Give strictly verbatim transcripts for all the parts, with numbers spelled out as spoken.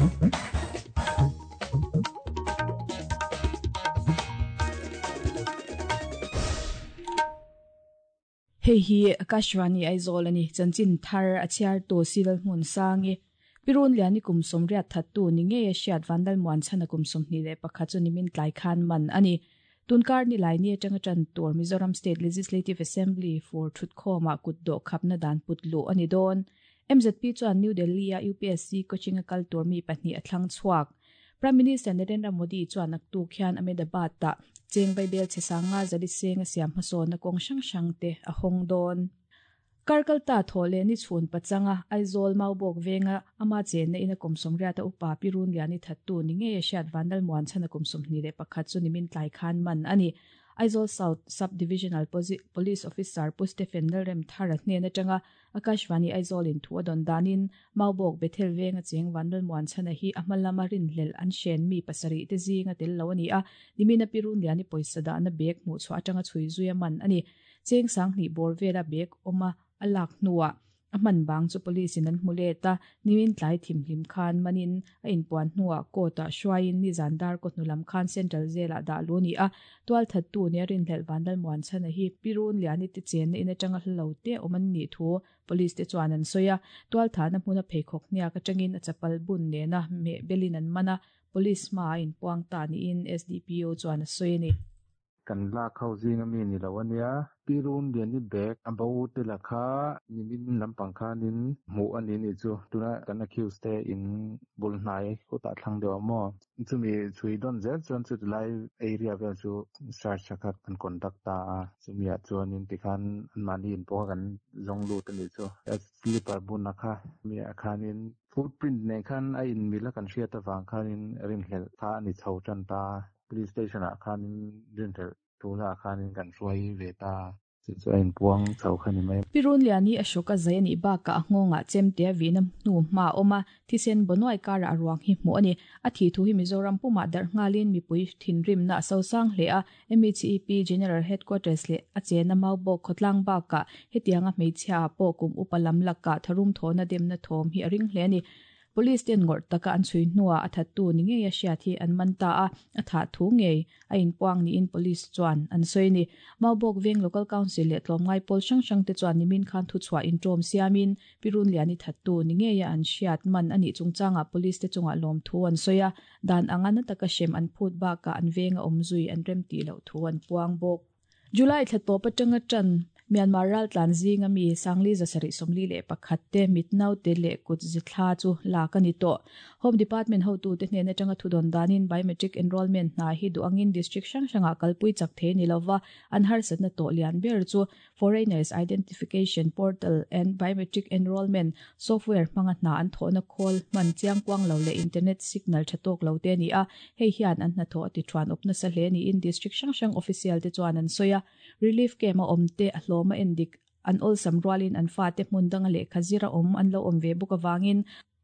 Hei hi Akashvani Aizawl ani chanchin thar a chhiar tu Silal hmun sangi Pirun liani kum somriat thattu ni nge a hriat Vandal muan chhana kum sawmhnih leh pakhat chu nimin tlai khan man ani. Tunkar ni lai ni atanga tan tur Mizoram State Legislative Assembly for thutkhawma kutdo khapna dan putlu ani dawn. M Z P chuan New Delhi a U P S C coaching a kal tur mi pahnih a thlang chhuak. Prime Minister Narendra Modi chuan naktu khian Ahmedabad ta cheng baibel chesanga zali seng a siam hmasawn na kawng hrang hrang te a hawng dawn. Karkalta thawle ni chhun pachanga Aizawl Maubawk venga ama chen na ina kum sawmriat a upa Pirun liani thattu ni nge a hriat Vandal muan chhana kum sawmhnih leh pakhat chu nimin tlai khan man ani. Aizawl South Sub-Divisional Police Officer Pu Stephen Lalrem Thara hnen atanga Akashvani Aizawl in thu a dawn danin Maubawk Bethel venga cheng Vandal muan chhana hi a hmalama rinhlel an hren mi pasarih te zinga tel lo ani a. Nimina Pirun liani pawisa dah na bag hmuh chhuah atanga chhui zui a man ani. Cheng sanghnih bawr vela bag awma a lak hnuah a hman bang chu police in an hmu let a. Nimin tlai thimhlim khan manin a inpuan hnuah court ah hruaiin ni zandar kaw hnulam khan Central Jail ah dah lu ni a. Tual thattu ni a rinhlelh Vandal muan chhana hi Pirun liani te chen na in atanga hla lo te awm an nih thu police te chuan an sawi a. Tual thahna hmuna pheikhawk hniak atangin a chapal bun nena meh belin an man a. Police hma a inpuang ta niin S D P O chuan a sawi ani. Kan lak ho zinga mi ni lo ania. Pirun liani bag a bo te la kha nimin lampang khanin hmuh ani ni chu tuna kan accused te in bul hnai khutah thlang deuh a maw. Chumi chui dawn zel chuan chu tilai area vel chu search kha kan conduct ta a. Chumi ah chuanin tikhan an mahni in pawh kan zawng lut ani chu. A slipper bun a kha mi ah khanin footprint nen khan a in mil a kan hriat avang khanin rinhlelh kha ani chho tan ta. Police station ah khanin rinhlelh tuna khanin kan hruai ve ta. Chu chu a inpuang chho kha ni mai. Pirun liani a hrawk a zai ani bakah a nghawngah chemte a vihna hnu hma a awm a. Thisen bawnuai karah a ruang hi hmuh ani. A thi thu hi Mizoram pumah darh nghalin mipui thinrimna a sosang hle a. M H E P General Headquarters leh a chena Maubawk khawtlang bakah hetianga hmeichhia ah pawh kum upa lam lakah tharum thawhna demna thawm hi a ring hle ani. Police ten ngawrh taka an chhui hnuah a thattu ni ngei a hriat hi an man ta a. A thah thu ngei a inpuang niin police chuan an sawi ni. Maubawk veng Local Council leh tlawmngai pawl hrang hrang te chuan nimin khan thu chhuah intawm siamin Pirun liani thattu ni ngei a an hriat man ani chungchangah police te chungah lawm thu an sawi a. Dan anga na taka hrem an phut bakah an venga awm zui an rem tih loh thu an puang bawk. July thla tawp atanga tan Myanmar ral tlan zinga mi sangli zasarih sawmli leh pakhat te mitnau te leh kut zithla chu lak ani tawh. Home Department hotu te hnen atanga thudawn danin biometric enrollment hna hi duangin district hrang hrangah kalpui chak thei ni lova. An harsatna tawh lian ber chu Foreigners Identification Portal and Biometric Enrollment Software hmanga hna an thawhna khawl hman chiang kuang lo leh internet signal tha tawk lo te ani a. Hei hian an hna thawh a ti thuan awp nasa hle niin district hrang hrang official te chuan an sawi a. Relief camp a awm te a hlawma endik an awlsam rualin an fa te hmun danga leh khazira awm an lo awm ve bawk awangin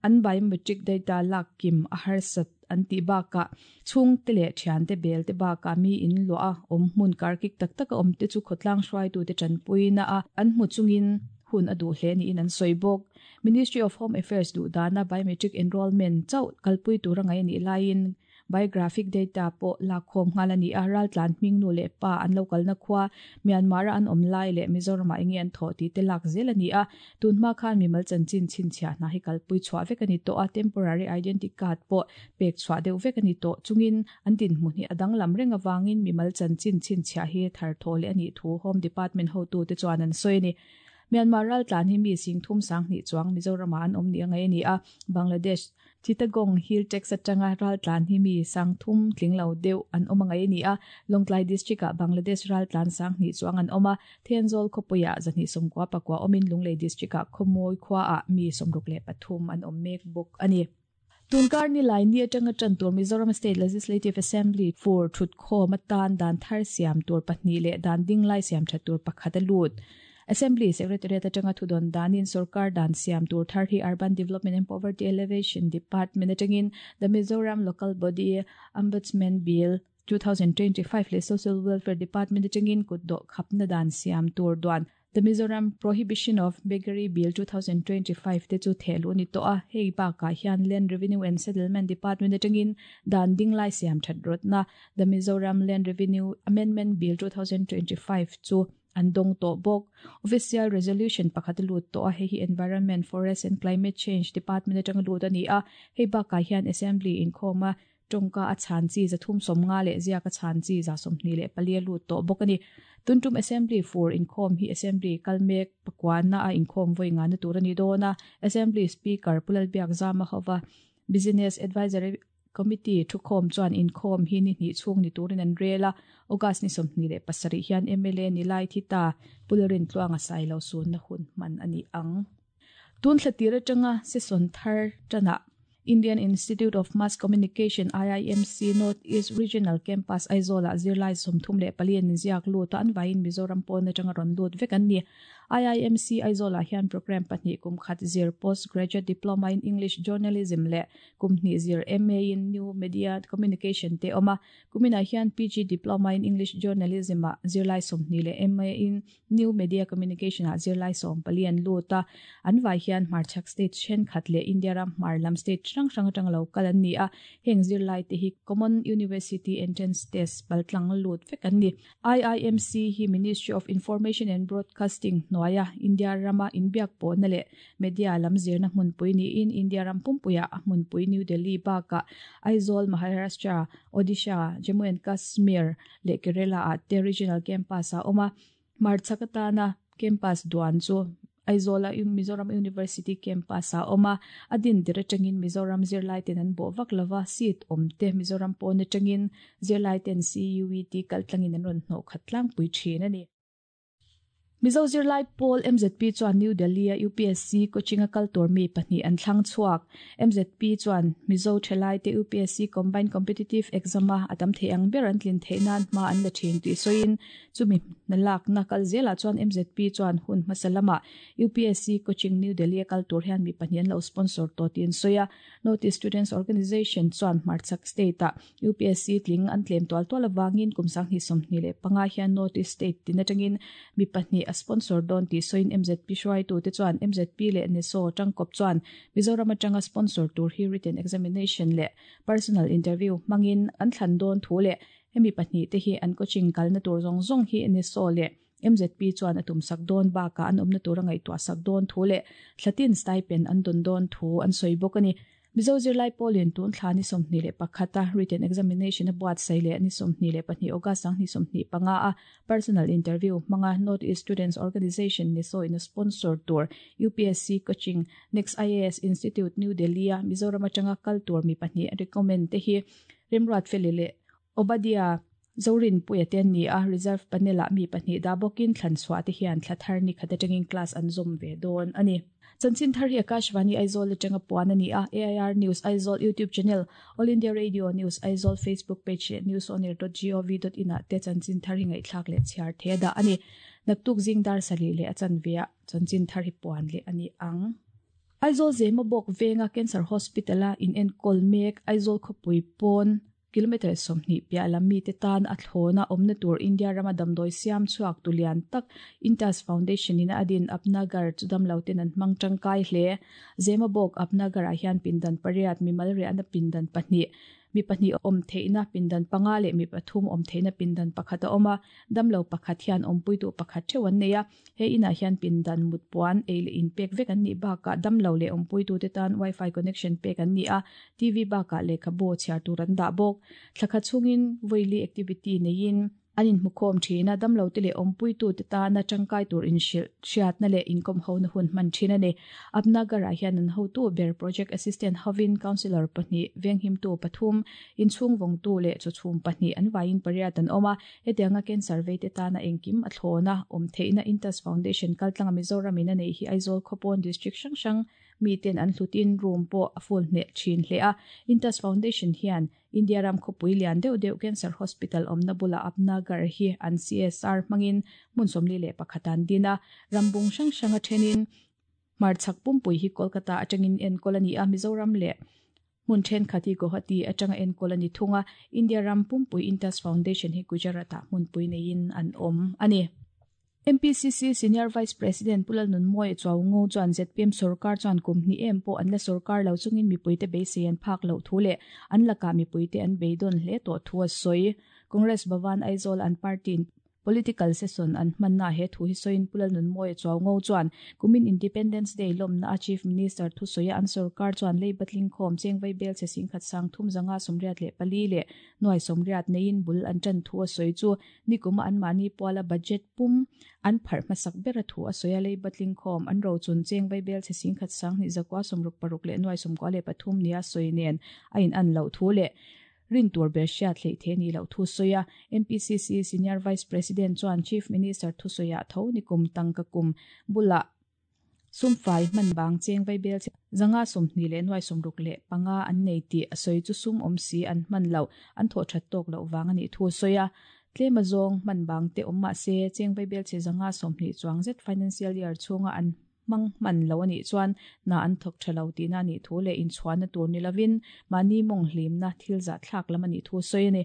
an biometric data lak kim a harsat an tih bakah chhung te leh thian te bel te bakah mi in luah a awm hmun karkik tak tak a awm te chu khawtlang hruaitu te tanpuina a an hmu chungin hun a duh hle niin an sawi bawk. Ministry of Home Affairs duh dana biometric enrollment chauh kalpui tur a ngai anih laiin biographic data pawh lak khawm nghal ani a. Ral tlan hming nu leh pa an lo kalna khua Myanmar a an awm lai leh Mizoram ah enge an thawh tih te lak zel ani a. Tunhma khan mimal chanchin chhinchhiah hna hi kalpui chhuah vek ani tawh a. Temporary identity card pawh pek chhuah deuh vek ani tawh chungin an dinhmun hi a danglam reng awangin mimal chanchin chhinchhiah hi thar thaw leh ani thu Home Department hotu te chuan an sawi ani. Myanmar ral tlan hi mi sing thum sanghnih chuang Mizoram ah an awm ni a ngai ani a. Bangladesh Chittagong Hill Tracts atanga ral tlan hi mi sang thum tling lo deuh an awm a ngai ani a. Lawngtlai district ah Bangladesh ral tlan sanghnih chuang an awm a. Thenzawl khawpuiah zahnih sawmkua pakua awmin Lunglei district ah khawmawi khua ah mi sawmruk leh pathum an awm mek bawk ani. Tunkar ni lai ni atanga tan tur Mizoram State Legislative Assembly for thutkhawm atan dan thar siam tur pahnih leh dan ding lai siam tha tur pakhat a lut. Assembly Secretariat atanga thudawn danin Sarkar dan siam tur thar hi Urban Development and Poverty Elevation Department atangin the Mizoram Local Body Ombudsman Bill twenty twenty-five leh Social Welfare Department atangin kutdo khapna dan siam tur duan The Mizoram Prohibition of Beggary Bill twenty twenty-five te chu thehluh ni tawh a. Hei bakah hian Land Revenue and Settlement Department atangin dan dinglai siam that rawtna, The Mizoram Land Revenue Amendment Bill twenty twenty-five chu an dawng tawh bawk. Official resolution pakhat lut tawh a. Hei hi Environment, Forest and Climate Change Department atanga lut ani a. Hei bakah hian Assembly inkhawma tawngka a chhan chi zathum sawmnga leh ziaka chhan chi za sawmhnih leh pali a lut tawh bawk ani. Tuntum Assembly fur inkhawm hi Assembly kalmek pakwana a inkhawm voi nga na tur ani dawn a. Assembly Speaker Pu Lalbiakzama hova Business Advisory Committee thukhawm chuan inkhawm hi ni hnih chhung ni turin an rel a. August ni sawmhnih leh pasarih hian M L A ni lai thi ta Pu Lalrintluanga Sailo sun na hun hman ani ang. Tun thlatir atanga session thar tana Indian Institute of Mass Communication, I I M C, North East Regional Campus Aizawl ah zirlai sawmthum leh pali an inziak lut a. An vaiin Mizoram pawn atanga rawn lut vek an ni. I I M C Aizawl ah hian program pahnih, kum khat zir Postgraduate Diploma in English Journalism leh kum hnih zir M A in New Media Communication te awm a. Kuminah hian P G Diploma in English Journalism ah zirlai sawmhnih leh M A in New Media Communication ah zirlai sawm pali an lut a. An vai hian hmarchhak state thenkhat leh India ram hmar lam state hrang hrang atanga lo kal an ni a. Heng zirlai te hi Common University Entrance Test paltlang lut vek an ni. I I M C hi Ministry of Information and Broadcasting hnuaia India rama inbiak pawhna leh media lam zirna hmunpui niin India ram pumpuia a hmunpui New Delhi bakah Aizawl, Maharashtra, Odisha, Jammu and Kashmir leh Kerala ah te regional campus a awm a. Hmarchhak atana campus duan chu Aizawl a Mizoram University campus a awm a. A din tir atangin Mizoram zirlai ten an bawh vak lova. Seat awm te Mizoram pawn atangin zirlai ten C U E T kaltlangin an rawn hnawh khat tlangpui thin ani. Mizo Zirlai Pawl, M Z P chuan New Delhi a U P S C coaching a kal tur mi pahnih an thlang chhuak. M Z P chuan Mizo thalai te U P S C Combined Competitive Exam a atam thei ang ber an tlin theih nan hma an la thin tih sawiin, chumi nalak na kal zela chuan M Z P chuan hun hmasa lama U P S C coaching New Delhi a kal tur hian mi pahnih an lo sponsor tawh tiin sawi a. North East Students Organization chuan hmarchhak state a U P S C tling an tlem tual tual awangin kum sanghnih sawmhnih leh panga hian North East state tin atangin mi pahnih a sponsor dawn tih sawiin, M Z P hruaitu te chuan M Z P leh NESO tangkawp chuan Mizoram atanga sponsor tur hi written examination leh personal interview hmangin an thlan dawn thu leh hemi pahnih te hi an coaching kalna tur zawng zawng hi NESO leh M Z P chuan a tum sak dawn bakah an awmna tur a ngaihtuah sak dawn thu leh thlatin stipend an dawn dawn thu an sawi bawk ani. Mizo Zirlai Pawlin tun thla ni sawmhnih leh pakhata written examination a buatsaih leh ni sawmhnih leh pahnih August sanghnih sawmhnih panga a personal interview hmanga North East Students Organization, NESO in a sponsor tur U P S C coaching Next I A S Institute, New Delhi a Mizoram atanga kal tur mi pahnih recommend te hi Remruat Feli leh Obadia Zorin Puia te an ni a. Reserve panel ah mi pahnih dah bawkin thlan chhuah te hian thla thar ni khat atangin class an zawm ve dawn ani. Chanchin thar hi Akashvani Aizawl atanga puan ani a. A I R News Aizawl YouTube channel, All India Radio News Aizawl Facebook page leh news on air dot gov dot in ah te chanchin thar hi ngaihthlak leh chhiar the dah ani. Naktuk zing dar sali leh a chanve ah chanchin thar hi puan leh ani ang. Aizawl Zemabawk venga Cancer Hospital a in enkawl mek, Aizawl khawpui pawn kilometer sawmhnih piah lam mi te tan a thlawna awmna tur, India rama damdawi siam chhuak tulian tak Intas Foundation in a adin Apnagar chu damlo ten an hmang tangkai hle. Zemabawk Apnagar ah hian pindan pariat, mimal riahna pindan pahnih, mi pahnih awm theihna pindan panga leh mi pathum awm theihna pindan pakhat a awm a. Damlo pakhat hian awmpuitu pakhat theuh an nei a. He inah hian pindan, mutpuan, ei leh in pek vek an nih bakah damlo leh awmpuitu te tan wifi connection pek an ni a. T V bakah lehkhabu chhiar tur an dah bawk. Thlakhat chhungin vawi activity neiin an inhmukhawm thin a. Damlo te leh awmpuitu te tana tangkai tur inhrilh hriatna leh inkawm hona hun hman thin ani. Apnagar ah hian an hotu ber project assistant hovin councillor pahnih, venghimtu pathum, inchhung vawngtu leh chawchhum pahnih, an vaiin pariat an awm a. Hetianga cancer vei te tana engkim a thlawna awm theihna Intas Foundation kaltlanga Mizoram in a nei hi Aizawl khawpawn district hrang hrang mi ten an hlutin room pawh a full hneh thin hle a. Intas Foundation hian India ram khawpui lian deuh deuh cancer hospital awmna bula Apnagar hi an C S R hmangin hmun sawmli leh pakhat an din a. Rambung hrang hrang a thenin hmarchhak pumpui hi Kolkata atangin enkawl ani a. Mizoram leh hmun thenkhat hi Guwahati atanga enkawl ani thung a. India ram pumpui Intas Foundation hi Gujarat ah hmunpui neiin an awm ani. M P C C Senior Vice President Pulal Nunmoi Chawngo chuan Z P M Sarkar chuan kumni em po an la sarkar lo chungin mipuite beisei an phak lo thu le an laka mipuite an beidon hle to thu a soi Congress Bhavan Aizawl an party political session an manna he thu hi soin Pulal Nunmoi Chawngo chuan kumin Independence Day lomna Chief Minister thu soya an sarkar chuan lei batling khom chengvai bel che singkhat sang thum zanga somriat le pali le noi somriat nein bul an chan thu a soi chu nikuma an mani pawla budget pum an phar masak bera thu a soya lei batling khom an ro chun chengvai bel che singkhat sang ni zakwa somruk paruk le noi somkwa le pathum nia soinen ain an lo thu le rin tur ber hriat hlei the ni lo thu soya M P C C Senior Vice President chuan Chief Minister thu soya tho nikum tangka kum bula sumfai man bang chengvai bel zanga somni le nuai somruk le panga an nei ti asoi chu sum om si an man lo an tho that tok lo wang ani thu soya tlema zong man bang te omma se chengvai bel che zanga somni chuang zet financial year chunga an mang man lo ani chuan na an thok thalo ti na ni thu le in chuan na tur ni lovin mani mong hlim na thil za thlak lam ani thu soi ani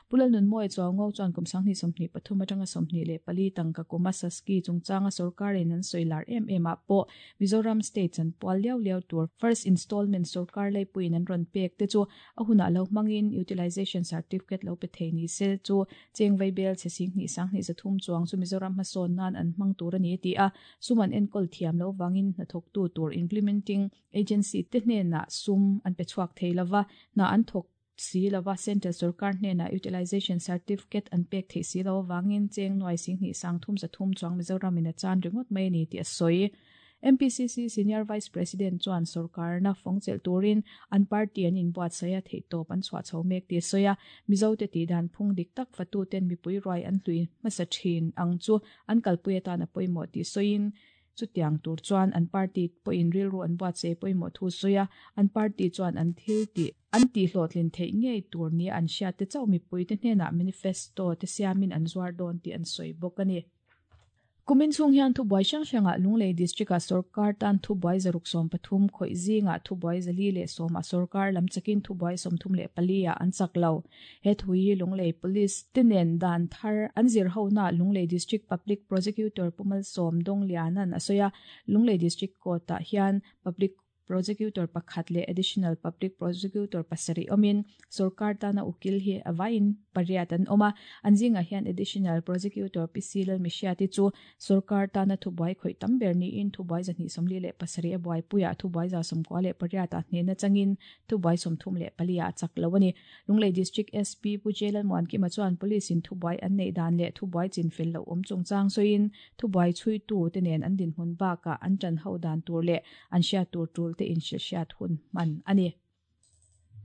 Pulal Nunmoi Chawngo chuan kum sangni somni pathum atanga somni le pali tangka kuma saski chungchanga sarkar in an soilar em em a po Mizoram state chan pwal liau liau tur first installment sarkar lai puin an ron pek te chu ahuna lo mangin utilization certificate lo pe theini se chu chengvai bel che sing ni sang ni zathum chuang chu Mizoram ma son nan an mang tur ani ti a suman enkol thiam lo wangin na thok tu tur implementing agency te hne na sum an pe chuak theilawa na an thok si lawa central sarkar hne na utilization certificate an pek thei si lo wangin cheng noi sing ni sang thum za thum chuang Mizoram in a chan ringot mai ni ti a soi M P C C Senior Vice President chuan sarkar na fongchel turin an party an in buat saya thei top an chwa chho mek ti soya Mizo te ti dan phung dik tak fatu ten mipui roi an hlui masa thin ang chu an kalpui ta na poimo ti soin chu tiang tur chuan an party po in ril ru an buat se poimo thu soya an party chuan an thil ti an ti hlotlin thei ngei tur ni an hria te chau mipui te hnena manifesto te siamin an zuar don ti an soi bawk ani Kumin chung hian thu buai hrang hranga Lunglei district a sarkar tan thu buai zaruk som pathum khoi zinga thu buai zali le som a sarkar lam chakin thu buai som thum le palia an chak lo he thui Lunglei police tinen dan thar an zir ho na Lunglei district public prosecutor Pumal Som Dong Lianan asoya Lunglei district court ta hian public prosecutor pakhat le additional public prosecutor pasari omin sarkar tana ukil hi awain pariat an oma anjinga hian additional prosecutor P C Lal Mishiati chu sarkar tana thubai khoi tamber ni in thubai jani somli le pasari abai puya thubai za somkwa le pariat a hne na changin thubai somthum le palia chak lawani Lunglei district S P Pujelal Moan ki machuan police in thubai an nei dan le thubai chin fel lo om chungchang soin thubai chui tu te nen an din hun ba ka an chan ho dan tur le an sha tur tul te in sha thun man ani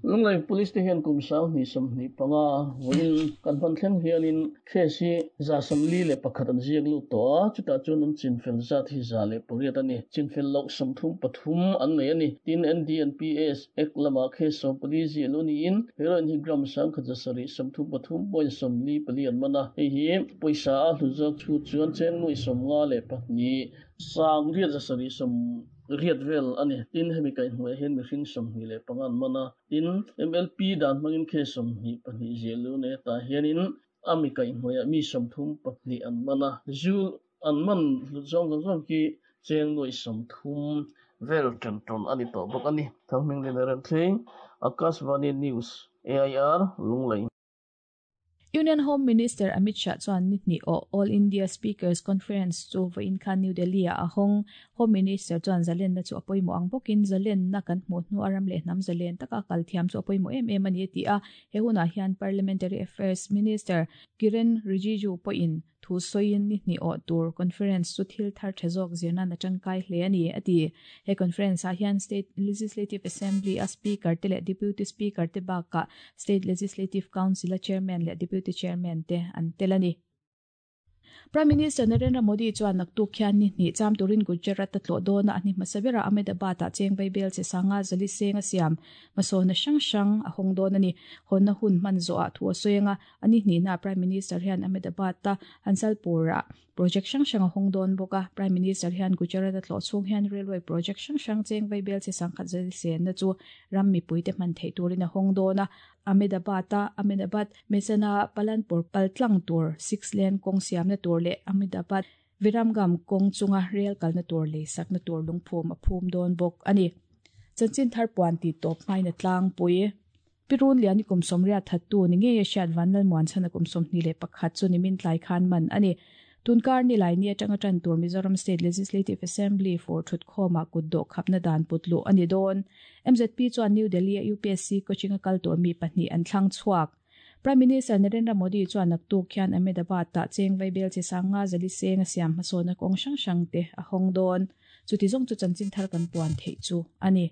Lunglei police te hian kum sang ni sam ni panga voin kan pan thleng hianin khesi za samli le pakhat an ziak lu to chuta chun an chin fel za thi za le poriat ani chin fel lok samthum pathum an nei ani tin N D N P S ek lama kheso police lu ni in heroin hi gram sang khaja sari samthum pathum point samli pali an mana hei hi poisa a hlu chu chuan chen nui somnga le pahni sang riat za sari sam riat vel ani tin hemi kai hmui hen mihring sawmhnih leh pangan mana tin M L P dan hmangin khe sawmhnih pahnih zial lu ne ta hianin ami kai hmuiah mi sawmthum pahnih an mana zu an man zawng zawng zawng ki cheng nuai sawmthum vel tan tawn ani tawh bawk ani Thangming le ran thleng Akashvani News A I R Lunglei Union Home Minister Amit Shah chuan ni ni o All India Speakers Conference chu voin khan New Delhi a ahong Home Minister chuan zalen na chu apoimo ang bokin zalen na kan hmu hnu aram le hnam zalen taka kal thiam chu apoimo em em ani ti a he huna hian Parliamentary Affairs Minister Kiren Rijiju poin thu soin ni ni o tur conference chu thil thar thazok zirna na tangkai hle ani ati he conference a hian State Legislative Assembly a speaker te le deputy speaker te ba ka State Legislative Council a chairman le deputy chairman te an telani Prime Minister Narendra Modi chuan naktuk khian ni ni cham turin Gujarat ta tlo dona ani masabera Ahmedabad ta chengbai bel che sanga zali senga siam masona sang sang a hong don ani honna hun man zo a thu soenga ani ni na Prime Minister hian Ahmedabad ta Hansalpura project sang sang a hong don boka Prime Minister hian Gujarat ta tlo chung hian railway project sang sang chengbai bel che sangkhat zali sen na chu ram mi puite man thei turin a hong dona Ahmedabad ta Ahmedabad Mesana Palanpur paltlang tur six lane kong siam na tur le Ahmedabad Viramgam kawng chunga rel kalna tur lei sakna tur lungphum a phum dawn bawk ani. Chanchin thar puan ti tawp hmaina tlangpui. Pirun liani kum sawmriat thattu ni nge hriat vanlal muan chhana kum sawmhnih leh pakhat chu nimin tlai khan man ani. Tunkar ni lai ni atanga tan tur Mizoram State Legislative Assembly for thut khawma kut dawh khapna dan putlu ani dawn. M Z P chuan New Delhi a U P S C coaching a kal tur mi pahnih an thlang chhuak. Prime Minister Narendra Modi chuan naktuk khian Ahmedabad ta cheng vaibel chi sanga zali seng a siam hmasawna kawng hrang hrang te a hawng dawn. Chuti zawng chu chanchin thar kan puan theih chu ani.